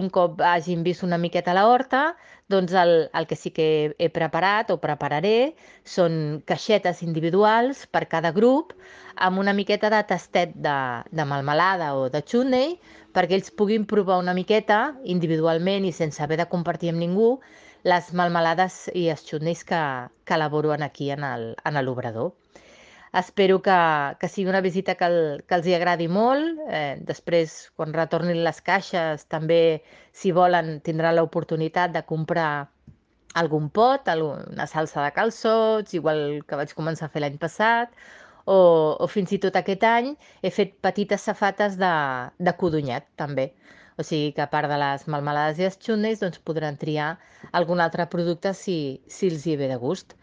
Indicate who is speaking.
Speaker 1: Un cop hagin vist una miqueta la horta, doncs el que sí que he preparat o prepararé són caixetes individuals per cada grup amb una miqueta de tastet de melmelada o de chutney perquè ells puguin provar una miqueta individualment i sense haver de compartir amb ningú les melmelades i els chutneys que elaboro aquí en l'obrador. Espero que sigui una visita que els hi agradi molt. Després, quan retornin les caixes, també, si volen, tindran l'oportunitat de comprar algun pot, una salsa de calçots, igual que vaig començar a fer l'any passat, o fins i tot aquest any he fet petites safates de codonyat, també. O sigui que a part de les melmelades i els xutneys, doncs podran triar algun altre producte si els hi ve de gust.